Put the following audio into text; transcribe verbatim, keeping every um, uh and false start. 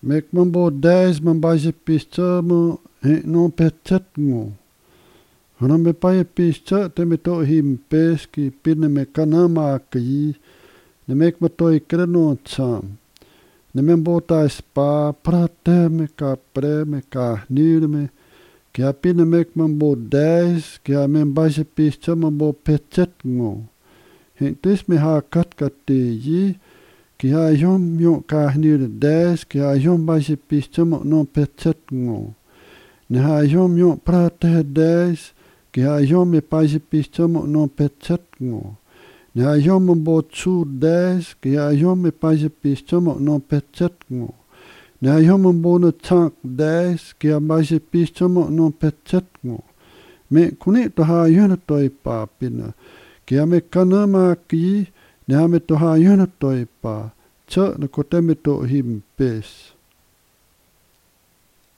Mek mambo dez mambaje pischa mo he no pechat ngo. Hana me paye pischa te me to him pes ki pinne me kanama ki ne mek ma to ikreno cham. Ne membo ta spa prate me ka pre me ka nir me ki a pinne mek mambo dez ki a membaje pischa mambo pechat ngo. He tis me ha kat kati yi ki ha yom yo ka nir dez ki ha yom baje pischa mo no pechat ngo. Ne ha yom yo prate dez ki ha yom me paje pischa mo no pechat ngo. Ne ha yom mambo chu dez ki ha yom me paje pischa mo no pechat ngo. Ne ha yom mambo no chak dez ki ha baje pischa mo no pechat ngo. Me kuni to ha yona toi pa pina. Ki ha me kanama ki ne ha me to ha yona toi pa. Cha na kote me to him pes.